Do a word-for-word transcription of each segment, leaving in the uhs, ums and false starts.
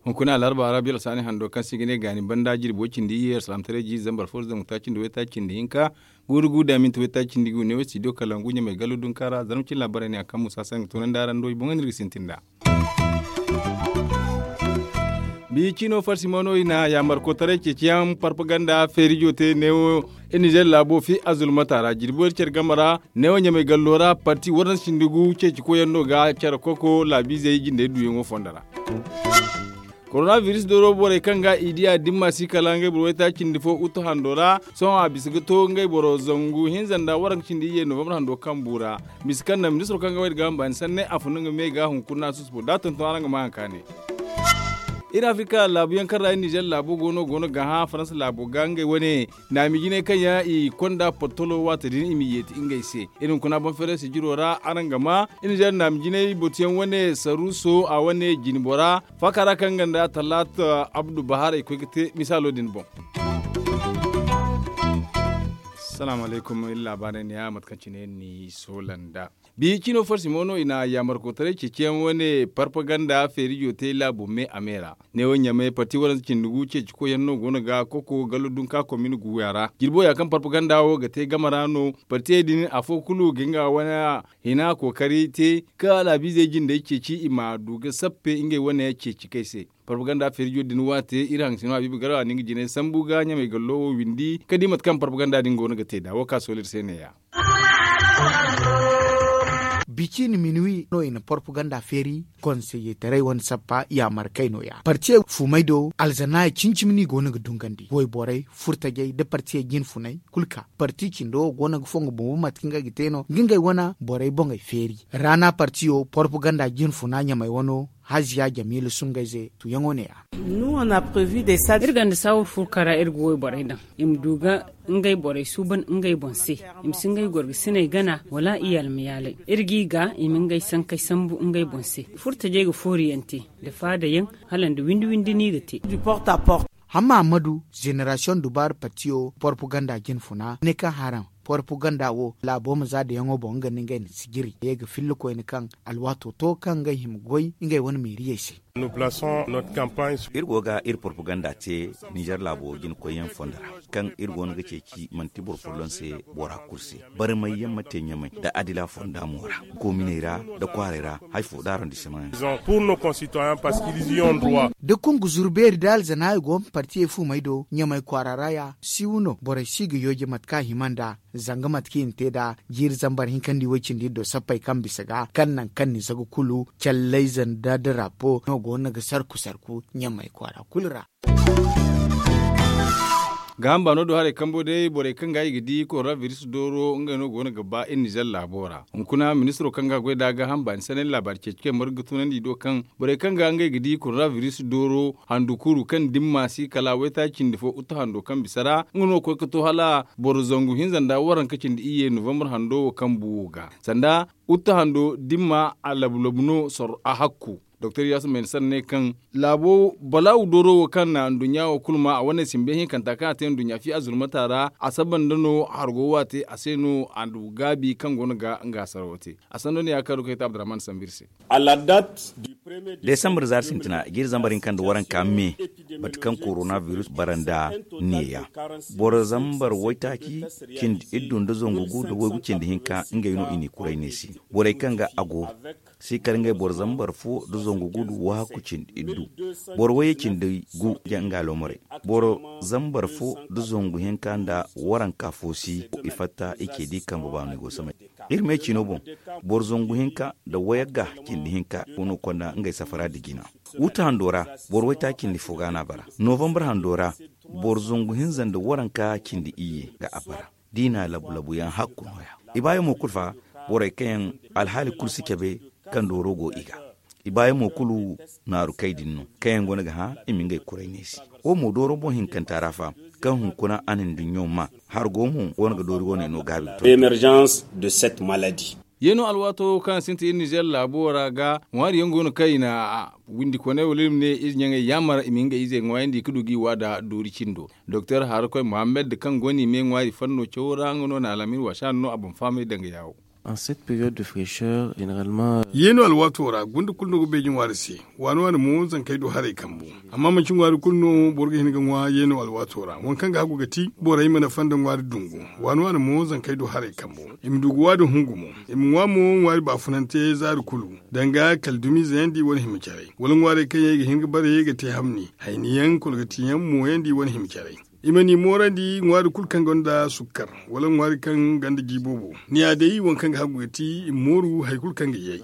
Hunkuna alarba arabiya alsaani hando kaŋ se i ga ne gaani banda jirbi way cindi iyye alsalamtaray jiiri zambar fo zangu taaci nda waytaaci nda hinka guuru gu da minti waytaaci nda gu ne wo studio kalangu ɲamay gallo dunka ra zarma cine laabaray ne a kaŋ musa sanga tunandi araŋ do i boŋ no iri ga sintin nd'a. Biya ciino farsi mo no i na yaamar kotaray ceeciyaŋ parpaganda feerijo te neewo iri nizer laabo fi azulmata ra jirbi way care game ra neewo ɲamay gallo ra parti waranza cindi gu ceeci koyyaŋ no ga care koko laabiizey jindey duuyaŋo fondo ra. Koronabiris dooro borey kaŋ ga i diya dimma si kala ngey boro waytaaci cindi fo utu hando ra sohõ a bisa ga to ngey boro zangu hinza nda waranka cindi iyye novambar hando kambu ra. Misa kaŋ naŋ ministiro kaŋ ga wayda ga hamba ni sanney a fun nga me ga hunkuna susubo da tonton araŋ ga ma haŋ ka ne. Iri afirika laabu yaŋ kaŋ ra iri nizer laabo go no go no ga hã faransa laabo ga ngey wane naami jinay kaŋ yaŋ i konda portolo waati din i ma yeeti ngey se. Iri hunkuna boŋ feeray sijiro ra araŋ ga ma iri nizer naami jinay botuyaŋ wane saruso a wane jinbora faaka ra kaŋ nga nda talaata abdu baharay koy ga te misaalo din boŋ. Salaamu alaykum iri laabaarey ne ya mate kaŋ cine iri n'i soola nda biya ciino farsi mo no i na yaamarkotaray ceeciyaŋ wane parpaganda feerijo te laabo me a me ra. Neewo ɲamay parti waranza cindi gu ceeci koyyaŋ no go no ga koko gallo dunka komin guya ra jirbo ya kaŋ parpaganda wo ga te game ra no partiyey din afo kulu ga nga wane hina kookari te ka laabiizey jindey ceeci i ma du ga sappe ngey wane ceeci kay se. Parpaganda feerijo din waate iri haŋ sino habiibu garba na nga jinay sambu ga ɲamay gallo wo windi ka di mate kaŋ parpaganda din go no ga te nd'a wo ka sohõ iri se ne- ya. Bici ni minuwi no i na porpaganda feeri konseyetaray wane sappa yaamar kay no- ya partiyey fuumay do alzanaayi cimi-cimi no i go no ga dungandi wayborey furtajey nda partiyey jinfunay kulu ka parti cindo wo go no ga fongo bumbo mate kaŋ ga te no ga ngey wane borey boŋey feeri raana partiyo porpaganda jinfuna ɲamay wano haziya jamiila sungayze tuyaŋo ne- ya. Iri gonda saawur furka ra iri ga wayborey daŋ i ma du ga ngey borey suuban ngey boŋ se i ma si ngey gorgasiney gana wala iyalmayaalay iri g'i ga i ma ngey sankey sambu ngey boŋ se furtajey ga fooriyaŋ te nda faadayaŋ hala nda windi-windi no i ga te. Hamma ammadu zenerasiyoŋ dubaari partiyo porpaganda jinfuna ne kaŋ haraŋ porpaganda wo laabo ma za dayaŋo boŋ nga nda ngey na sijiri ye ga filla koyne kaŋ alwaato to kaŋ ngey hima goy ngey wane meeriyey se. Iri go ga iri porpaganda te nizer laabo jinakoyyaŋ fondo ra kaŋ iri go no ga ceeci manti boro folloŋ se bora kulu se barmay yaŋ ma te ɲamay nda adila fonda mo ra kominey ra nda kwaaray ra hari fo da arondisemaŋ yaŋ. Da kungu zuru beeri da alzanaayi go ma partiyey fuumey do ɲamay kwaara ra ya siiwu no borey si ga yooje mate kaŋ a hima nd'a zanga mate kaŋ i na te nd'a jiiri zambar hinkandi way-cindi do sappey kaŋ bisa ga kaŋ naŋ kaŋ ni zaga kulu callayze nda darapo no go no ga sarku-sarku ɲamay kwaara kulu ra. Gaaham baano do haray kambo day borey kaŋ ga i ga di koronabiris dooro ngey no go no ga ba iri nizer laabo ra hunkuna ministiro kaŋ ga goy nd'a gaaham baani sanay laabaari ceeci kaŋ margu ga tunandi i do kaŋ borey kaŋ ga ngey ga di koronabiris dooro handu kuru kaŋ dimma si kala waytaaci cindi fo utu hando kaŋ bisa ra nga no ga koy ga to hala boro zangu hinza nda waranka cindi iyye novambar hando wo kaŋ bu wo ga sanda utu hando dimma a labu-labu no sorro a hakku. Doktor yaasu mayna sanda ne kaŋ laabo balaawu dooro wo kaŋ na nduɲɲa wo kulu ma a wane simbe hinkanta kaŋ a te nduɲɲa fi azulmata ra a saba nda no hargo waate a se no a du gaabi kaŋ go no ga nga sarawo te. A sanda no ya kaŋ a du kaŋ ay te abdurrahman sambu iri se. Desambar zaari sintina jiiri zambar hinka nda waranka me mate kaŋ koronabiris bara nda neeya boro zambar waytaaci cindi iddu nda zangu gu nda waygu cindi hinka ngey no i n'i kuray neesi borey kaŋ ga a go si kala ngey boro zambar fo nda zangu gu nda wahakku cindi iddu boro wayye cindi gu ga nga alomorey boro zambar fo nda zangu hinka nda waranka fo si i fatta i ce di kambe baano i go samay iri me ciino boŋ boro zangu hinka nda wayagga cindi hinka go no konda ngey safara nda jina wuta hando ra boro waytaaci cindi fo ga no a bara novambar hando ra boro zangu hinza nda waranka cindi iyye ga a bara da i na labu-labu yaŋ hakku nooya i baayaŋ mo kulu fa borey kaŋ yaŋ alhaali kulu si cabe kaŋ dooro go i ga i baayaŋ mo kulu naaru kay din no kaŋ yaŋ go no ga hã i ma ngey kuray neesi wo mo dooro boŋ hinkanta ra fa kaŋ hunkuna a na nduɲɲo ma hargo mo go no ga doori wane no gaabi ga to. Yeeno alwaato kaŋ a sintin iri nizeer laabo ra ga ŋwaari yaŋ go no kaŋ i na windi koney wala iri ma ne ize ɲaŋey yaamar i ma ngey izey ŋwaayandi ka du ga i waada doori cindo. Doktor harakoy mohammed kaŋ go no i me ŋwaari fanno cawo ra nga no na alhamin waasa no a boŋ fahamay danga yaawo. Yeeno alwaato ra gunda kulu no ga beeji ŋwaari se. Waani waani mo zankey du haray kambu. Amma manci ŋwaari kulu no boro ga hin ga ŋwa yeeno alwaato ra waŋ kaŋ ga hagu ga ti borey mana fonda ŋwaari dungu. Waani waani mo zankey du haray kambu. I ma du ga waadi hungu mo. I ma ŋwa mo ŋwaari baafunante zaari kulu, danga kala dumiizeyandi wane hima caray wala ŋwaarey kaŋ yaŋ i ga hin ga bare ga te hamni hayni yaŋ kolgati yaŋ mooyandi wane hima caray. I ma ni moorandi ŋwaari kulu kaŋ gonda sukkar wala ŋwaari kaŋ gonda ji boobo. Ni ya day waŋ kaŋ ga hagu ga ti i ma mooru hari kulu kaŋ ga yay.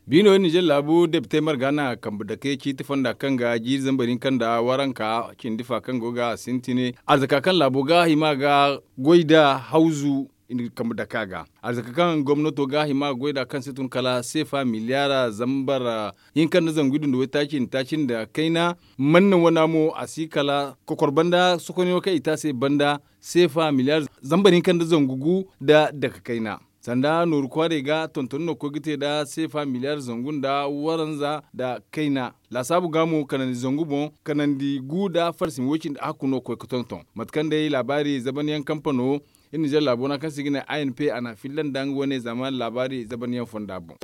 Biino iri nizeer laabu depitey marga na kambe dake ciiti fonda kaŋ ga jiiri zambar hinka nda waranka cindi fa kaŋ go ga a sintin arzaka kaŋ laabo ga hima ga goy nda hawzu. Iri na kambe dake a ga arzaka kaŋ gomnato ga hima ga goy nd'a kaŋ si tun kala seefa miliyaara zambar hinka nda zangu iddu nda waytaaci nda taaci nda kayna. Manna wana mo a si kala kokor banda sokonyaŋo kaŋ i te a se banda seefa miliyaara zambar hinka nda zangu gu nda dake kayna. Sanda nooru kwaarey ga tonton no ga koy ga te nda seefa miliyaara zangu nda waranza nda kayna. Laasaabu ga mo kanandi zangu boŋ kanandi gu nda farsi ma woy cindi hakku no ga koy ga tonton mate kaŋ day laabaari zabanyaŋ kampano iri nizeer laabo ra kaŋ se i ga ne a n p a na a filla nda nga wane zama laabaari zabanyaŋ fonda boŋ.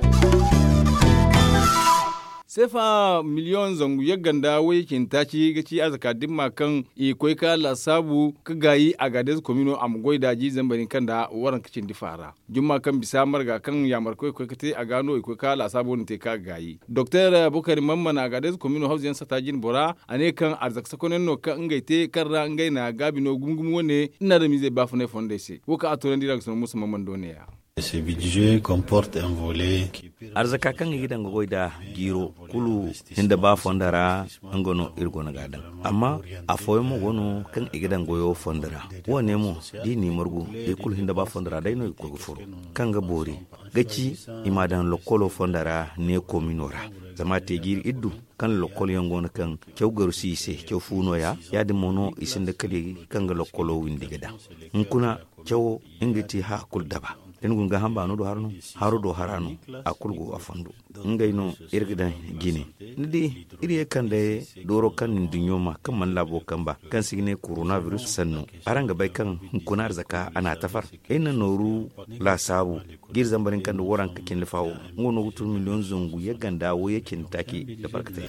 Seefa miliyoŋ zangu yagga nda wayye cindi taaci ga ci arzaka dimma kaŋ i ga koy ga laasaabu ga gaayi agadeez komino a ma goy nd'a jiiri zambar hinka nda waranka cindi fa ra. Jumma kaŋ bisa marga kaŋ yaamarkoy ga koy ga te a ga no i koy ga laasaabo din te ka gaayi doktor bukari mamman a ga day za komino hawzu yaŋ sata jine bora a ne kaŋ arzaka sakonyaŋ no kaŋ ngey te kaŋ ra ngey na gaabi no gumo gumo wane iri na adamiizey baafunay fondey se wo kaŋ a toonandi iri a ga sanaŋ musa mamman do ne ya. Arzaka kaŋ i ga daŋ ga goy nd'a jiiro kulu hinda ba fondo ra nga no iri go no ga a daŋ. Amma afooyaŋ mo go no kaŋ i ga daŋ goyo fondo ra. Wo- ne mo da i n'i margu i kulu hinda ba fondo ra day no i ga koy ga furo kaŋ ga boori ga ci i m'a daŋ lokkolo fondo ra ne koomino ra. Zama a te jiiri iddu kaŋ lokkol yaŋ go no kaŋ caw garu si i se caw fu no- ya ya- din mo no i sinda kali kaŋ ga lokkolo windi ga daŋ. Hunkuna cawo nga ti haya kulu daba da ni guna gaaham baano do hara no haro do hara no a kulu go a fondo. Ngey no iri ga daŋ jine ni di iri ye kande dooro kaŋ nduɲɲo ma kaŋ mana laabo kamba kaŋ se i ga ne korona virus sannu. Araŋ ga bay kaŋ hunkuna arzaka a n'a tafar iri na nooru laasaabu jiiri zambar hinka nda waranka cindi faawo nga no ga tun miliyoŋ zangu yagga nda wayye cindi taaci da barkatey.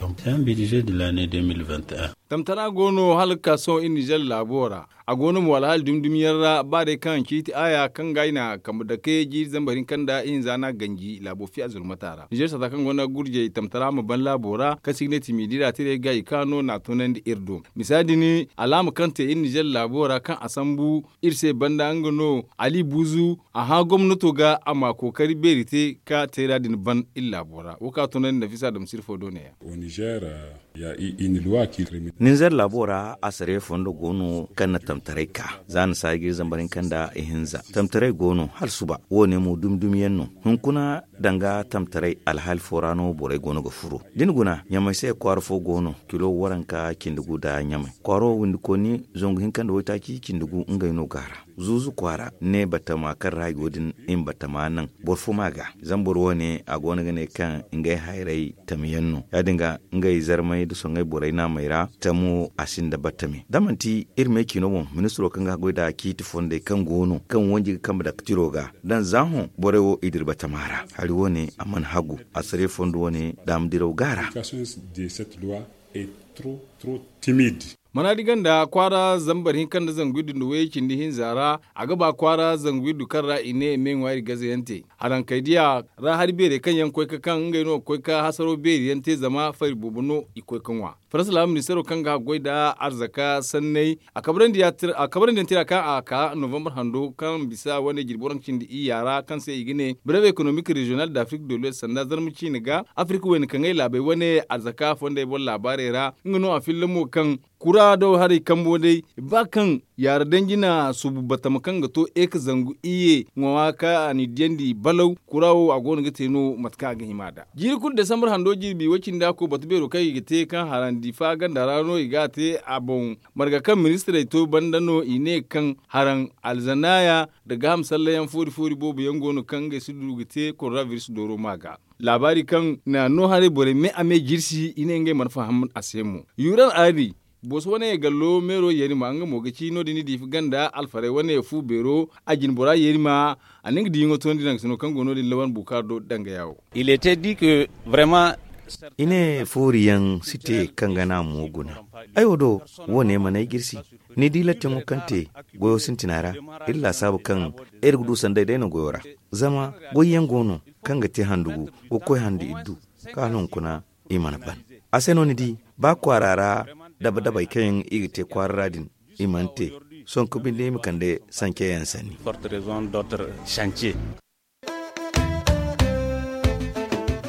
Tamtara go no hala ga ka sohõ iri nizer laabo ra. A go no mo alhaali dumi dumi yaŋ ra ba day kaŋ ciiti aaya kaŋ ga ay na kambe dake jiiri zambar hinka nda ihinza no a ganji laabo fiya zulmata ra nizer sata kaŋ gonda gurjey tamtara ma ban laabo ra kaŋ se i ga ne timidira tiray ga i ka no na a toonandi iri do. Misa din alaama kaŋ te iri nizer laabo ra kaŋ a sambu iri se banda nga no ali buuzu a hã gomnato ga a ma kookari beeri te ka teera din ban iri laabo ra wo kaŋ a toonandi nafisa damsir fo do ne ya. Ninzer laabo ra asare fondo go no kaŋ na tamtaray ka za na saajiri zambar hinka nda ihinza tamtaray go no hala suba wo- ne mo dumi dumi yaŋ no. Hunkuna danga tamtaray alhaali fo ra no borey go no ga furo da ni guna ɲamay se kwaara fo go no kilo waranka cindi gu nda ɲamay kwaaro windikooni zangu hinka nda waytaaci cindi gu ngey no go a ra. Zuuzu kwaara ne batama kaŋ ra i go din i ma batama naŋ boro fo ma a ga. Zama boro wo- ne a go no ga ne kaŋ ngey hayray tami yaŋ no ya- din ga ngey zarmey nda soŋay borey naamey ra. Tamo a sinda batame da manti iri me ciino boŋ ministiro kaŋ ga goy nda ciiti fondey kaŋ go no kaŋ wanji ga kambe dake tiro ga daŋ za hõ borey wo i dira batama ra hari wo- ne a mana hagu. Asare fondo wo- ne daama diraw go a ra. Mana di ganda kwaara zambar hinka nda zangu iddu nda wayey cindi hinza ra. A ga ba kwaara zangu iddu kaŋ ra i ne i ma ay ŋwaari gaze yaŋ te harankey diya ra hari beerey kaŋ yaŋ koy ka kaŋ ngey no ga koy ka hasaro beeri yaŋ te zama fari boobo no i koy ka ŋwa. Farasa laabu ministeero kaŋ ga goy nda arzaka sanney a kabrandi yaŋ tira kaŋ a ka novambar hando kaŋ bisa wane jirbi waranka cindi iyya ra kaŋ se i ga ne breve ekonomik reziyonal da afrik de luwes sanda zarma ciine ga afrik wayna kaŋ ay laabey wane arzaka fondey boŋ laabaarey ra. Nga no a filla mo kaŋ kura do haray kambo day, ba kaŋ yaara danji na suubu batama kaŋ ga to e ka zangu iyye ŋwa ka a n'i diyandi balaw, kura wo a go no ga te no mate kaŋ a ga hima nd'a. Jiiri kulu desambar hando jirbi way-cindi a ko batu beero kaŋ i ga te kaŋ harandi fa ganda ra no i ga a te a boŋ. Marga kaŋ ministirey to banda no i ne kaŋ haraŋ alzanaaya nda gaaham sallayaŋ foori foori boobo yaŋ go no kaŋ ngey si du ga te korona biris dooro ma ga. Laabaari kaŋ na no haray borey me a me jirsi i ne ngey mana faham a se mo. Yuuran aadi, booso wane gallo meero yeeri ma nga mo ga ci no- din ni diifi ganda alfarey wane fu beero a jine bora yeeri ma a na nga diiyaŋo tondi daŋ sino kaŋ go no- din lawan bukaar do dangaya wo. I ne fooriyaŋ si te kaŋ ga naamu wo guna. Ay wo do, wo ne mana ay jirsi. Ni di lattiŋo kaŋ te goyo sintina ra, iri laasaabu kaŋ iri ga du sanday day no goyo ra. Zama goyyaŋ go no kaŋ ga te handu gu ga koy handu iddu, kaŋ hala hunkuna i mana ban. A se no ni di, ba kwaara ra daba-dabey kaŋ yaŋ i ga te kwaara ra din, i mana te. Sohõ ka binde i ma kande sanceyaŋ sanni.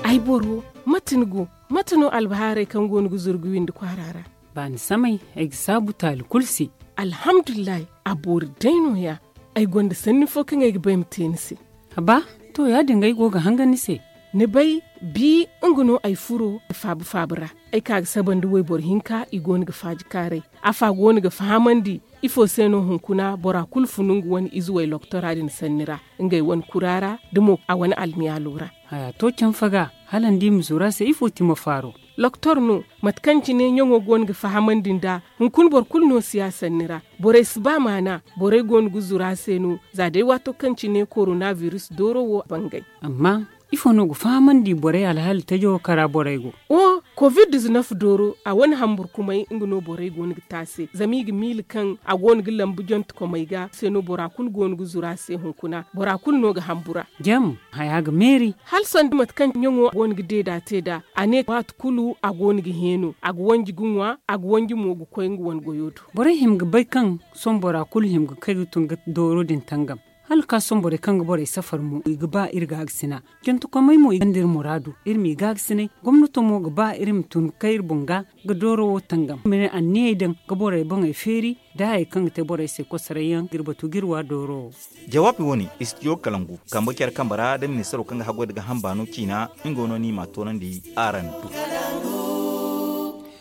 Ay boro, mate ni go? Mate no albahaarey kaŋ go no ga zuru ga windi kwaara ra? Baani samay, ay ga saabu taali kulu se. Alhamdulillahi, a boori day no- ya. Ay gonda sanni fo kaŋ ay ga ba ay ma te ni se. Haba, to ya- din ga ay go ga hangan ni se. Ni bay, bi nga no ay furo faabu-faabu ra. Ay ka ga saba nda wayboro hinka i go no ga faaji kaaray. Afa go no ga fahamandi ifo se no hunkuna bora kulu funu nga wane ize way lokotora din sanni ra, ngey wane kura ra, da mo a wane almiyaalo ra. Haya to canfa ga, hala ni di ma zuru a se ifo ti ma faaro? Lokotor no, mate kaŋ cine ɲaŋo go no ga fahamandi nd'a. Hunkuna boro kulu no si ya sanni ra. Borey si ba maana. Borey go no ga zuru a se no. Za day waato kaŋ cine korona biris dooro wo bangay. Amma ifo no ga fahamandi borey alhaali tajo kara borey go? O, kovid dizinef dooro a wane hamburkumay nga no borey go no ga te a se zama i ga miila kaŋ a go no ga lambu jontekomey ga se no bora kulu go no ga zuru a se hunkuna bora kulu no ga hambura. Jam, haya ga meeri. Hala sanda mate kaŋ ɲaŋo go no ga deeda te nd'a, a ne waati kulu a go no ga heeno a ga wanji ga ŋwa, a ga wanji mo ga koy nga wane goyo do. Borey hima ga bay kaŋ sohõ bora kulu hima ga kay ga tun ga dooro din tangam. Hala ka sohõ borey kaŋ ga borey safar mo i ga ba iri gaagasina. Jantakomey mo i gonda iri muraadu, iri m'i gaagasina. Gomnato mo ga ba iri ma tun ga kay iri boŋ ga ga dooro wo tangam ma ne anniyey daŋ ga borey boŋey feeri. Da hayey kaŋ ga te borey se kosoray yaŋ ga iri batu ga iri wa dooro wo. Jawaabi wo- ne, istidiyo kalangu kambe care kambe ra da ministaro kaŋ ga haggoy nda gaaham baano ciina. Nga wo no ni m'a toonandi araŋ do.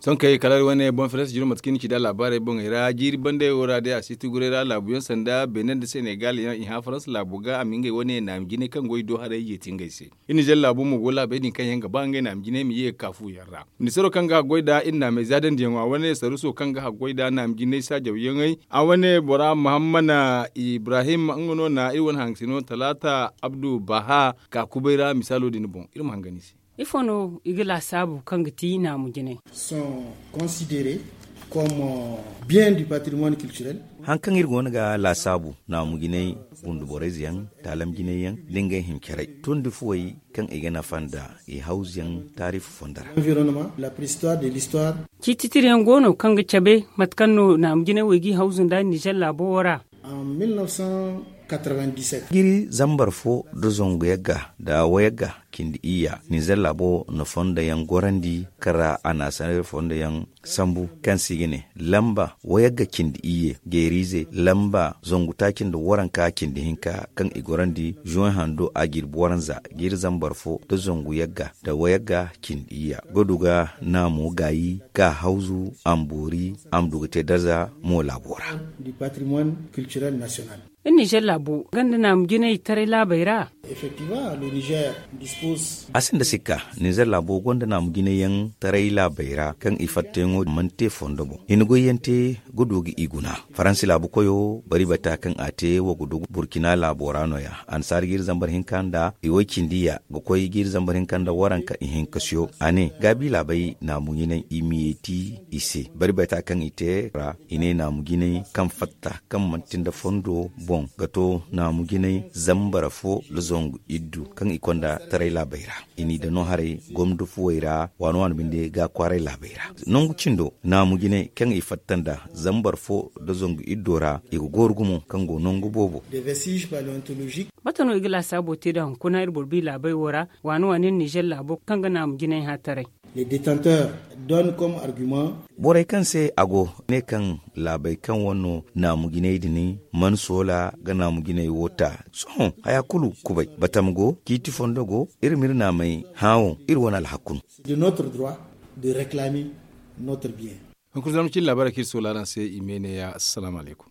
Sohõ kay kala iri wane boŋ feres jiro mate kaŋ i na ci nd'a laabaarey boŋey ra jiiri bandey wo ra day a si ti guray ra laabu yaŋ sanda beene nda senegal yaŋ i hã faransa laabo ga a ma ngey wane naami jinay kaŋ goy do haray yeeti ngey se. Iri nizer laabo mo go laabey din kaŋ yaŋ ga ba ngey naami jinay ma ye ga ka fu yaŋ ra. Ministaro kaŋ ga haggoy nd'a iri naamey zaadandiyaŋo a wane saruuso kaŋ ga haggoy nd'a naami jinay saajaw yaŋey a wane bora mahammana ibrahim nga no na iri wane hangasino talaata abdu baha ka kubay ra misaalo din boŋ iri ma hanga ni se. Ifo no i ga laasaabu kaŋ ga ti naamu jinay? Sont considérés comme bien du patrimoine culturel. Haŋ kaŋ iri go no ga laasaabu naamu jinay gundu borey ze yaŋ taalam jinay yaŋ da ngey hincarey tondi fuwey kaŋ i ga nafa nda i hawzu yaŋ taarifu fondo ra. Environnement la préhistoire de l'histoire. Ciititiri yaŋ go no kaŋ ga cabe mate kaŋ no naamu jinay wo i g'i hawzu nda nizer laabo wo ra. Giri zambar fo nda zangu yagga nda wayagga cindi iyya nizer laabo na fondo yaŋ gorandi kaŋ ra a na a sanay fondo yaŋ sambu kaŋ se i ga ne lamba wayagga cindi iyye geeriize lamba zangu taaci nda waranka cindi hinka kaŋ i gorandi zuwan hando a jirbi waranza giri zambar fo nda zangu yagga nda wayagga cindi iyya ga du ga naamo gaayi ka hawzu a ma boori a ma du ga te darza mo laabo ra. Iri nizer laabo ganda naamu jinay taray laabey ra. A sinda sikka nizer laabo gonda naamu jinay yaŋ taray laabey ra kaŋ i fattayaŋo mana te fondo boŋ i na goy yaŋ te ga du ga i guna. Faransi laabu koyo bari bata kaŋ a te wo ga du burkina laabo ra no- ya annasaara ga iri zambar hinka nda i way cindi ya ga koy ga iri zambar hinka nda waranka ihinka siyo a ne gaabi laabey naamu jinay i ma yeeti i se bari bata kaŋ i te ra i ne naamu jinay kaŋ fatta kaŋ manti nda fondo boŋ ga to naamu jinay zambar fo nda zangu iddu kaŋ i konda taray laabey ra. I n'i daŋ no haray gomdo fuwey ra waano waano binde ga kwaaray laabey ra. Nangu cindo naamu jinay kaŋ i fatta nda zambar fo nda zangu iddo ra i ga gooru gumo kaŋ go nangu boobo. Mate no i ga laasaabo te nda hunkuna iri boro bi laabey wo ra waano waano iri nizer laabo kaŋ ga naamu jinay hã taray? Donne comme argument. Borey kaŋ se a go ne kaŋ laabey kaŋ wane no naamu jinay din man soola ga naamu jinay wo ta. Sohõ haya kulu kubay batam go ciiti fondo go. Iri ma iri naamey hã wo iri wane alhakku no. C'est de notre droit de réclamer notre bien. Hunkuna zarma cine laabaarey kaŋ iri soola araŋ se i me ne ya assalamu alaykum.